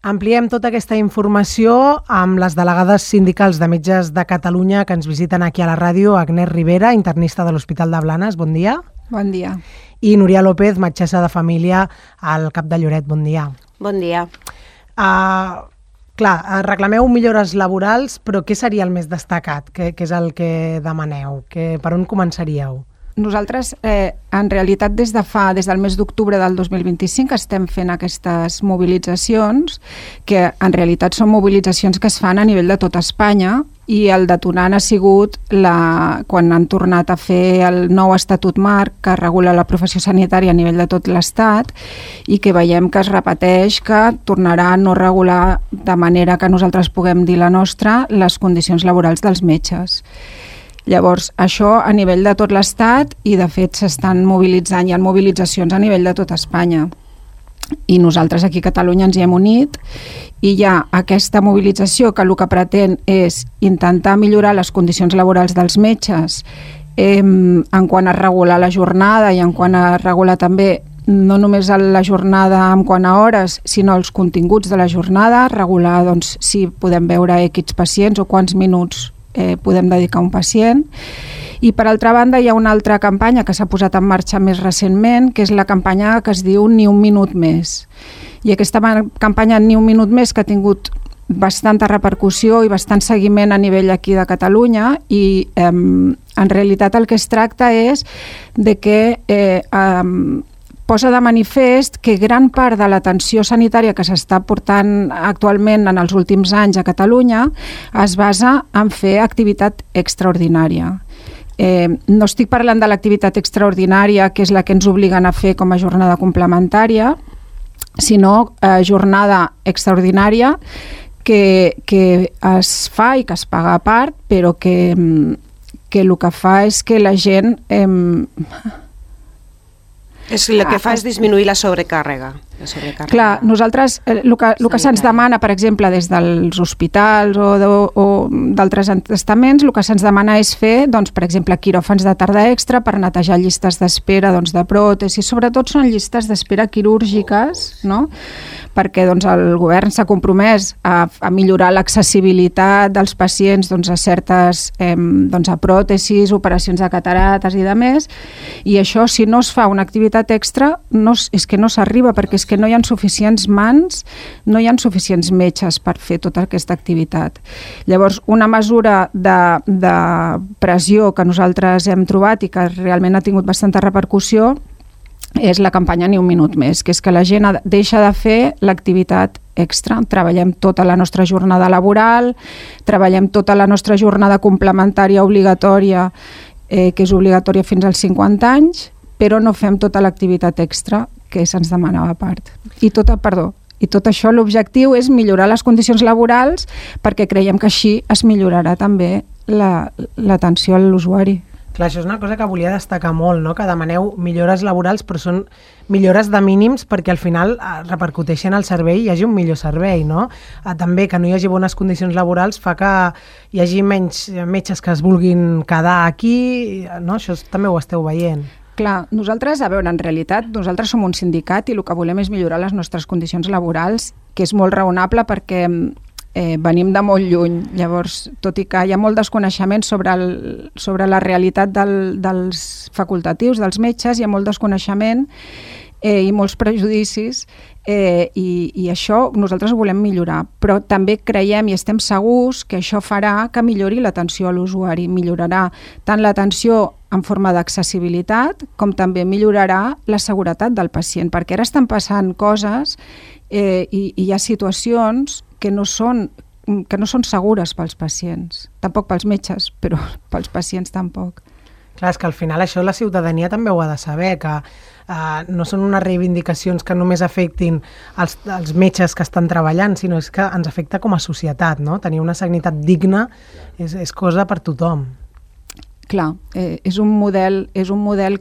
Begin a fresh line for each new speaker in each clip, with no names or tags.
Ampliem tota aquesta informació amb les delegades sindicals de metges de Catalunya que ens visiten aquí a la ràdio, Agnès Rivera, internista de l'Hospital de Blanes, bon dia.
Bon dia.
I Núria López, metgessa de família al CAP de Lloret, bon dia.
Bon dia.
Reclameu millores laborals, però què seria el més destacat? Què és el que demaneu? Per on començaríeu?
Nosaltres, en realitat, des del mes d'octubre del 2025 estem fent aquestes mobilitzacions, que en realitat són mobilitzacions que es fan a nivell de tota Espanya, i el detonant ha sigut quan han tornat a fer el nou Estatut Marc que regula la professió sanitària a nivell de tot l'Estat i que veiem que es repeteix, que tornarà a no regular de manera que nosaltres puguem dir la nostra les condicions laborals dels metges. Llavors, això a nivell de tot l'Estat i de fet s'estan mobilitzant, hi ha mobilitzacions a nivell de tot Espanya. I nosaltres aquí a Catalunya ens hi hem unit i hi ha aquesta mobilització que el que pretén és intentar millorar les condicions laborals dels metges en quant a regular la jornada i en quant a regular també no només la jornada en quant a hores, sinó els continguts de la jornada, regular doncs, si podem veure X pacients o quants minuts podem dedicar a un pacient. I per altra banda hi ha una altra campanya que s'ha posat en marxa més recentment, que és la campanya que es diu Ni un minut més. I aquesta campanya Ni un minut més, que ha tingut bastanta repercussió i bastant seguiment a nivell aquí de Catalunya, i en realitat el que es tracta és de que posa de manifest que gran part de l'atenció sanitària que s'està portant actualment en els últims anys a Catalunya es basa en fer activitat extraordinària. No estic parlant de l'activitat extraordinària, que és la que ens obliguen a fer com a jornada complementària, sinó jornada extraordinària que es fa i que es paga a part, però que el que fa és que la gent...
El que fa és disminuir la sobrecàrrega.
Clar, nosaltres, el que se'ns demana, per exemple, des dels hospitals o d'altres estaments, el que se'ns demana és fer, doncs, per exemple, quiròfans de tarda extra per netejar llistes d'espera de pròtesis. Sobretot són llistes d'espera quirúrgiques, no? Perquè doncs, el govern s'ha compromès a millorar l'accessibilitat dels pacients a certes a pròtesis, operacions de catarates i de més, i això, si no es fa una activitat extra, és que no s'arriba, perquè és que no hi ha suficients mans, no hi ha suficients metges per fer tota aquesta activitat. Llavors, una mesura de pressió que nosaltres hem trobat i que realment ha tingut bastanta repercussió és la campanya Ni un minut més, que és que la gent deixa de fer l'activitat extra. Treballem tota la nostra jornada laboral, treballem tota la nostra jornada complementària obligatòria, que és obligatòria fins als 50 anys, però no fem tota l'activitat extra que se'ns demanava a part. I tot això, l'objectiu és millorar les condicions laborals perquè creiem que així es millorarà també l'atenció a l'usuari.
Clar, això és una cosa que volia destacar molt, no? Que demaneu millores laborals, però són millores de mínims perquè al final repercuteixen al servei i hi hagi un millor servei, no? També que no hi hagi bones condicions laborals fa que hi hagi menys metges que es vulguin quedar aquí, no? Això també ho esteu veient.
Clar, nosaltres, en realitat, nosaltres som un sindicat i el que volem és millorar les nostres condicions laborals, que és molt raonable perquè venim de molt lluny. Llavors, tot i que hi ha molt desconeixement sobre la realitat dels facultatius, dels metges, hi ha molt desconeixement i molts prejudicis, i això nosaltres ho volem millorar, però també creiem i estem segurs que això farà que millori l'atenció a l'usuari, millorarà tant l'atenció en forma d'accessibilitat com també millorarà la seguretat del pacient, perquè ara estan passant coses i hi ha situacions que no són segures pels pacients, tampoc pels metges, però pels pacients tampoc.
Clar, és que al final això la ciutadania també ho ha de saber, que no són unes reivindicacions que només afectin els metges que estan treballant, sinó és que ens afecta com a societat, no? Tenir una sanitat digna és cosa per tothom.
Clar, és un model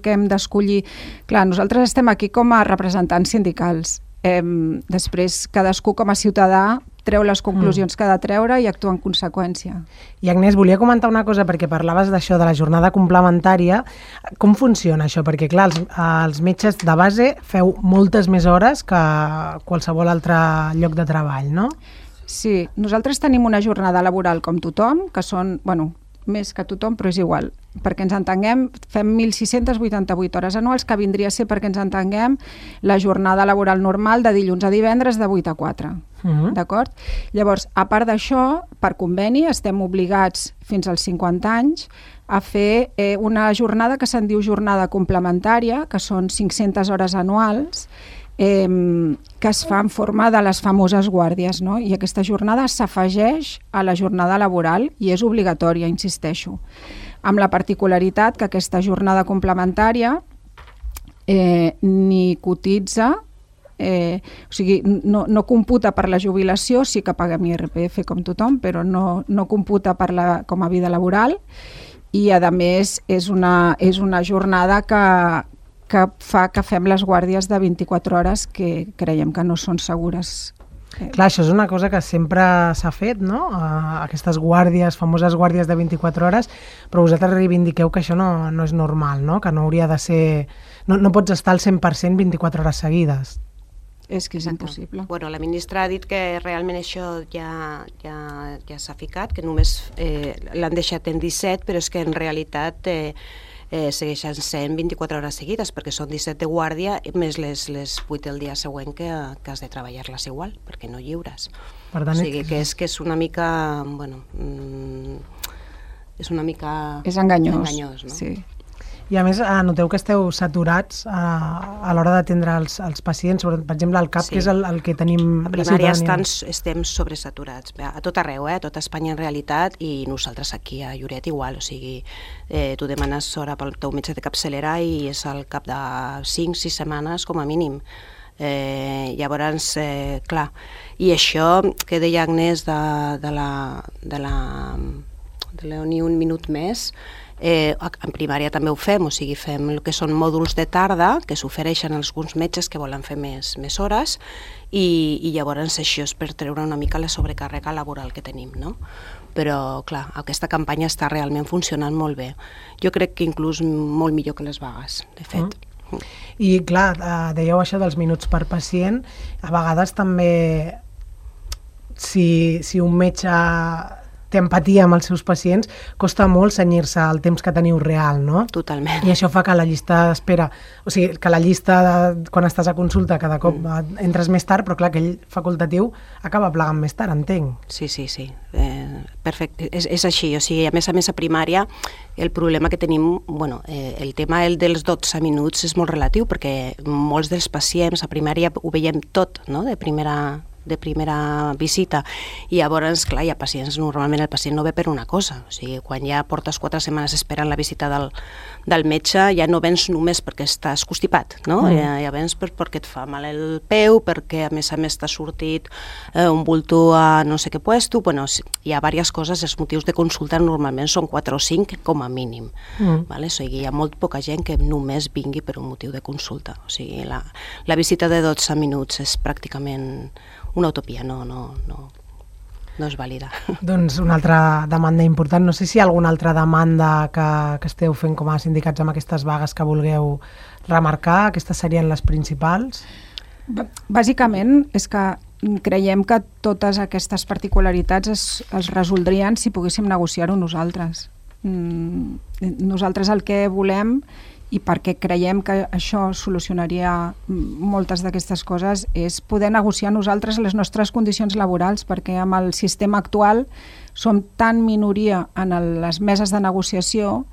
que hem d'escollir. Clar, nosaltres estem aquí com a representants sindicals. Després, cadascú com a ciutadà treu les conclusions que ha de treure i actua en conseqüència.
I Agnès, volia comentar una cosa, perquè parlaves d'això, de la jornada complementària. Com funciona això? Perquè, clar, els metges de base feu moltes més hores que qualsevol altre lloc de treball, no?
Sí, nosaltres tenim una jornada laboral com tothom, que són, bueno, més que tothom, però és igual. Perquè ens entenguem, fem 1.688 hores anuals, que vindria a ser, perquè ens entenguem, la jornada laboral normal de dilluns a divendres de 8 a 4. D'acord? Llavors, a part d'això, per conveni, estem obligats fins als 50 anys a fer una jornada que se'n diu jornada complementària, que són 500 hores anuals, que es fa en forma de les famoses guàrdies, no? I aquesta jornada s'afegeix a la jornada laboral i és obligatòria, insisteixo, amb la particularitat que aquesta jornada complementària ni cotitza, o sigui, no computa per la jubilació, sí que paguem IRPF com tothom, però no computa com a vida laboral, i a més és una jornada que fa que fem les guàrdies de 24 hores que creiem que no són segures.
Clar, això és una cosa que sempre s'ha fet, no? Aquestes guàrdies, famoses guàrdies de 24 hores, però vosaltres reivindiqueu que això no és normal, no? Que no hauria de ser... No pots estar al 100% 24 hores seguides.
És que és impossible.
Bueno, la ministra ha dit que realment això ja s'ha ficat, que només l'han deixat en 17, però és que en realitat segueixen sent 24 hores seguides, perquè són 17 de guàrdia més les 8 del dia següent que has de treballar-les igual, perquè no lliures.
Per tant,
o sigui que és una mica... Bueno, és una mica...
És enganyós,
no?
Sí.
I a més, noteu que esteu saturats a l'hora d'atendre els pacients, per exemple, al CAP, sí, que és el que tenim...
A primària estem sobresaturats, a tot arreu, a tota Espanya en realitat, i nosaltres aquí a Lloret igual, o sigui, tu demanes hora pel teu metge de capçalera i és al cap de 5-6 setmanes com a mínim. Llavors, clar, i això que deia Agnès de la Ni un minut més, en primària també ho fem, o sigui, fem el que són mòduls de tarda que s'ofereixen als alguns metges que volen fer més hores i llavors això és per treure una mica la sobrecàrrega laboral que tenim, no? Però, clar, aquesta campanya està realment funcionant molt bé. Jo crec que inclús molt millor que les vagues, de fet.
I, clar, dèieu això dels minuts per pacient, a vegades també si un metge té empatia amb els seus pacients, costa molt cenyir-se al temps que teniu real, no?
Totalment.
I això fa que la llista d'espera, o sigui, que la llista quan estàs a consulta cada cop entres més tard, però clar, aquell facultatiu acaba plegant més tard, entenc.
Sí. Perfecte, és així, o sigui, a més a primària el problema que tenim, bueno, el tema dels 12 minuts és molt relatiu perquè molts dels pacients a primària ho veiem tot, no?, de primera visita, i llavors, clar, hi ha pacients, normalment el pacient no ve per una cosa, o sigui, quan ja portes 4 setmanes esperant la visita del metge, ja no vens només perquè estàs constipat, no? Ja vens perquè et fa mal el peu, perquè a més t'ha sortit un bulto a no sé què puesto, bueno, hi ha diverses coses, els motius de consulta normalment són 4 o 5 com a mínim, vale? O sigui, hi ha molt poca gent que només vingui per un motiu de consulta, o sigui, la visita de 12 minuts és pràcticament una utopia, no és vàlida.
Doncs una altra demanda important. No sé si hi ha alguna altra demanda que esteu fent com a sindicats amb aquestes vagues que vulgueu remarcar. Aquestes serien les principals?
Bàsicament és que creiem que totes aquestes particularitats es resoldrien si poguéssim negociar-ho nosaltres. Nosaltres el que volem, i perquè creiem que això solucionaria moltes d'aquestes coses, és poder negociar nosaltres les nostres condicions laborals, perquè amb el sistema actual som tan minoria en les meses de negociació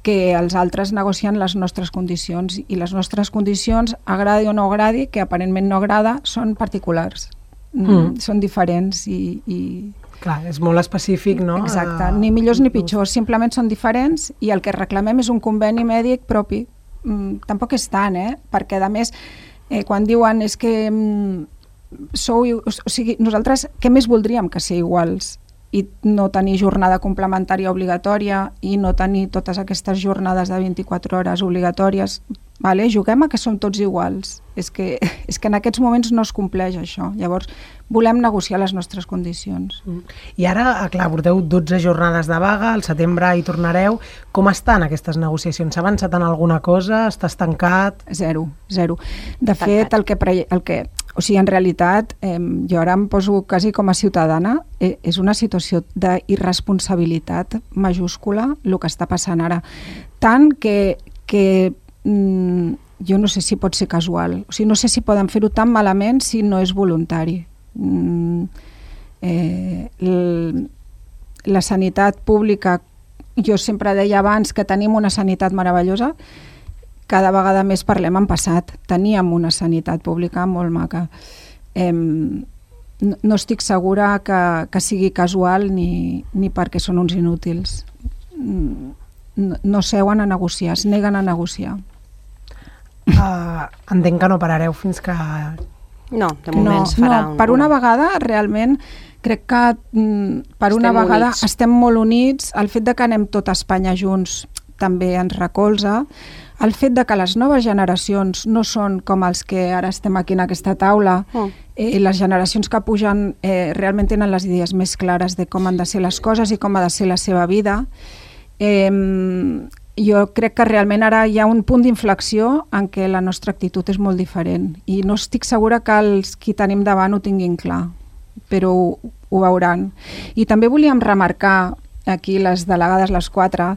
que els altres negocien les nostres condicions, i les nostres condicions, agradi o no agradi, que aparentment no agrada, són particulars, són diferents i...
Clar, és molt específic, no?
Exacte, ni millors ni pitjors, simplement són diferents, i el que reclamem és un conveni mèdic propi. Tampoc és tant, perquè a més, quan diuen és que o sigui, nosaltres què més voldríem que ser iguals i no tenir jornada complementària obligatòria i no tenir totes aquestes jornades de 24 hores obligatòries? vale? Juguem a que som tots iguals. És que en aquests moments no es compleix això. Llavors, volem negociar les nostres condicions.
I ara, clar, porteu 12 jornades de vaga, al setembre hi tornareu. Com estan aquestes negociacions? S'ha avançat en alguna cosa? Està estancat?
Zero. De fet, o sigui, en realitat, jo ara em poso quasi com a ciutadana, és una situació d'irresponsabilitat majúscula el que està passant ara. Tant que jo no sé si pot ser casual, o sigui, no sé si poden fer-ho tan malament si no és voluntari. La sanitat pública, jo sempre deia abans que tenim una sanitat meravellosa, cada vegada més parlem en passat. Teníem una sanitat pública molt maca. No estic segura que sigui casual ni perquè són uns inútils. No seuen a negociar, es neguen a negociar.
Entenc que no parareu fins que...
No, de moment es farà...
Per una vegada, realment, crec que per una vegada estem molt units. El fet de que anem tot a Espanya junts també ens recolza. El fet de que les noves generacions no són com els que ara estem aquí en aquesta taula, les generacions que pugen realment tenen les idees més clares de com han de ser les coses i com ha de ser la seva vida. Jo crec que realment ara hi ha un punt d'inflexió en què la nostra actitud és molt diferent i no estic segura que els qui tenim davant ho tinguin clar, però ho veuran. I també volíem remarcar aquí les delegades, les 4,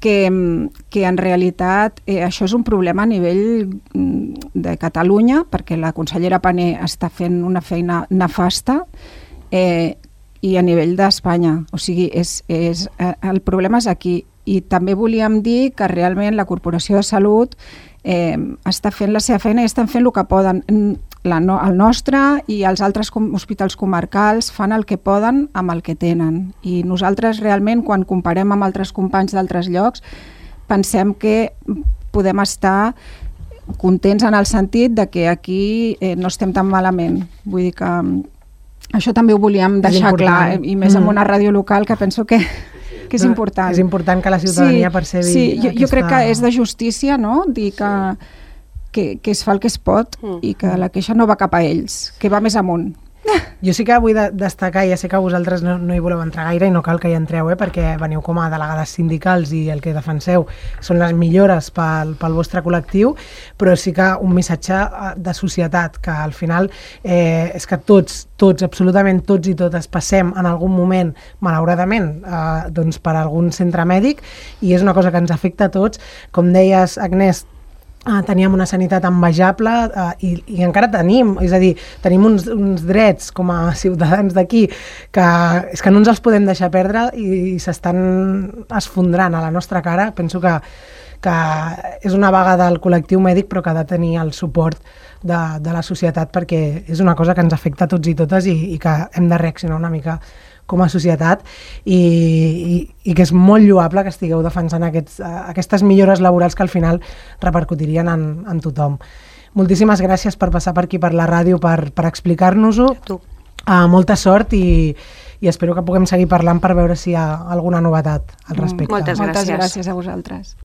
que en realitat això és un problema a nivell de Catalunya, perquè la consellera Pané està fent una feina nefasta, i a nivell d'Espanya. O sigui, el problema és aquí. I també volíem dir que realment la Corporació de Salut està fent la seva feina i estan fent el que poden. El nostre i els altres hospitals comarcals fan el que poden amb el que tenen. I nosaltres realment, quan comparem amb altres companys d'altres llocs, pensem que podem estar contents en el sentit de que aquí no estem tan malament. Vull dir que això també ho volíem deixar clar, i més en una ràdio local que penso que és important.
És important que la ciutadania percebi...
Sí, jo crec que és de justícia, no?, dir que es fa el que es pot i que la queixa no va cap a ells, que va més amunt.
Jo sí que vull destacar, ja sé que vosaltres no hi voleu entrar gaire i no cal que hi entreu, perquè veniu com a delegades sindicals i el que defenseu són les millores pel vostre col·lectiu, però sí que un missatge de societat, que al final és que tots, absolutament tots i totes passem en algun moment, malauradament, doncs per algun centre mèdic, i és una cosa que ens afecta a tots. Com deies, Agnès, teníem una sanitat envejable i encara tenim, és a dir, tenim uns drets com a ciutadans d'aquí que és que no ens els podem deixar perdre i s'estan esfondrant a la nostra cara. Penso que és una vaga del col·lectiu mèdic, però que ha de tenir el suport de la societat, perquè és una cosa que ens afecta a tots i totes i que hem de reaccionar una mica com a societat i que és molt lloable que estigueu defensant aquestes millores laborals que al final repercutirien en tothom. Moltíssimes gràcies per passar per aquí per la ràdio per explicar-nos-ho. Molta sort i espero que puguem seguir parlant per veure si hi ha alguna novetat al respecte.
Moltes gràcies.
Moltes gràcies a vosaltres.